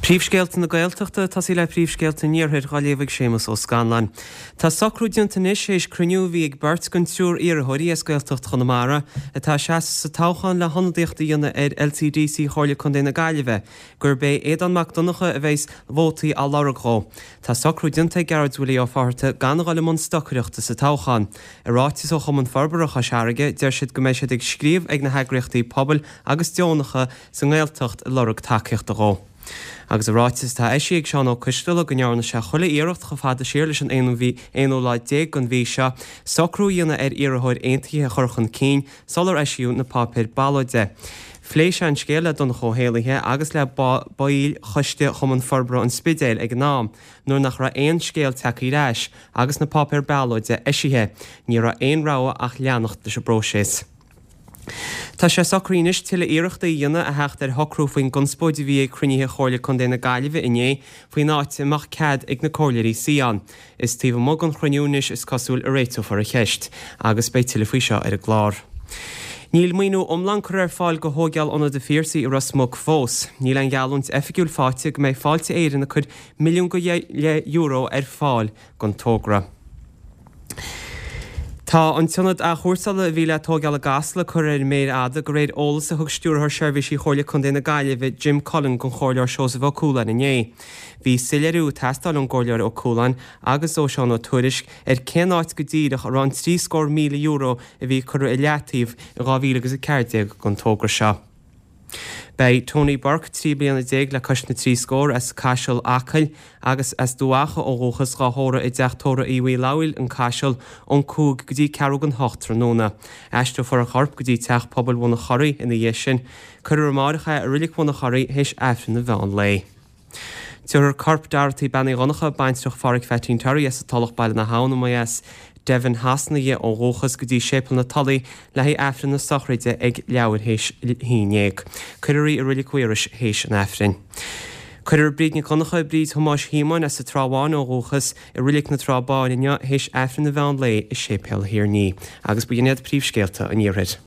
Príomhscéalta na Gaeltachta, tosaí le príomhscéalta an Iarthair, dhá léamh ag Séamus Ó Scanláin. Tá socrú déanta anois théis cruinniú a bhí ag beirt den triúr iarrthóirí as Gaeltacht Chonamara atá ag seasamh sa toghchán le hionadaíocht a dhéanamh ar LCDC Chomhairle Contae na Gaillimhe, gurb é Aodán Mac Donncha a bheas vótaí á lorg dhó. Tá socrú déanta ag Gearóid Willie Ó Fátharta gan a dhul i mbun stocaireachta sa toghchán. I ráiteas ó Chumann Forbartha Chois Fharraige, deir siad go mbeidh siad ag scríobh ag na heagraíochtaí pobail agus deonacha sa nGaeltacht ag lorg tacaíochta dhó. Agus i ráiteas atá eisithe ag Seán Ó Coisdealbha go ndearna sé chuile iarracht chomh fada siar leis an aonú lá déag den mhí seo socrú a dhéanamh ar iarrthóir aontaithe a chur chun cinn sular eisíodh na páipéir ballóide. Phléigh sé an scéal le Donncha Ó hÉallaithe agus le baill Choiste Chumann Forbartha an Spidéil ag an am nuair nach raibh aon scéal tagtha ar ais agus na páipéir ballóide eisithe. Ní raibh aon rogha ach leanacht leis an bpróiseas. Tá sé socraithe anois tuilleadh iarrachtaí a dhéanamh a theacht ar shocrú faoin gconspóid a bhí ag cruinnithe Chomhairle Contae na Gaillimhe inné faoin áit a mbeadh cead ag na comhairleoirí suí ann. Is taobh amuigh den chruinniú anois is cosúil a réiteofar an cheist agus beidh tuilleadh faoi seo ar an gclár. Níl maoiniú iomlán curtha ar fáil do thóigeáil Ionad an Phiarsaigh i Ros Muc fós. Níl aon gheallúint oifigiúil faighte go mbeidh Fáilte Éireann ag cur €1.5 milliún ar fáil don togra. Tá an t-ionad athchúrsála a bhí le tóigeáil i gCasla curtha ar an méar fhada, de réir eolas a thug Stiúrthóir Seirbhísí Chomhairle Contae na Gaillimhe, Jim Cullen don Chomhairleoir Seosamh Ó Cualáin inné. Bhí soiléiriú ag teastáil ón gComhairleoir Ó Cualáin agus ó Seán Ó Tuairisg ar cén áit go díreach a raibh an €73,000 a bhí curtha i leataobh in 2014 don togra seo. Beidh Tony Burke, 13 bliana le cois na dtrí scór, as Caiseal, Acaill, agus as Dumha Acha ó dhúchas, dhá thórramh i dteach tórraimh Aodh Uí Fhlathúil, An Caiseal, ón 5 go dtí ceathrú don hocht tráthnóna. Aistreofar a chorp go dtí Teach Pobail Bhun an Churraigh ina dhiaidh sin. Cuirfear amáireach é i Roilic Bhun an Churraigh théis Aifreann an mheán lae. Tabharfar corp Dorothy Bean Uí Dhonncha, baintreach Pháraic Pheaitín Terry as an Tulach Baile na hAbhann, a mba as Devon Shasana dhi ó dhúchas, go dtí Séipéal na Tulaí le haghaidh Aifreann na sochraide ag leathuair théis a haon dhéag. Cuirfear í i Roilic Mhaorais théis an Aifrinn. Cuirfear Bríd Nic Dhonncha, Bríd Thomáis Shíomóin as an Trá Bháin ó dhúchas, i Roilic na Trá Báine inniu théis Aifreann an mheán lae i Séipéal Thír Ní. Agus ba shin iad príomhscéalta an Iarthair.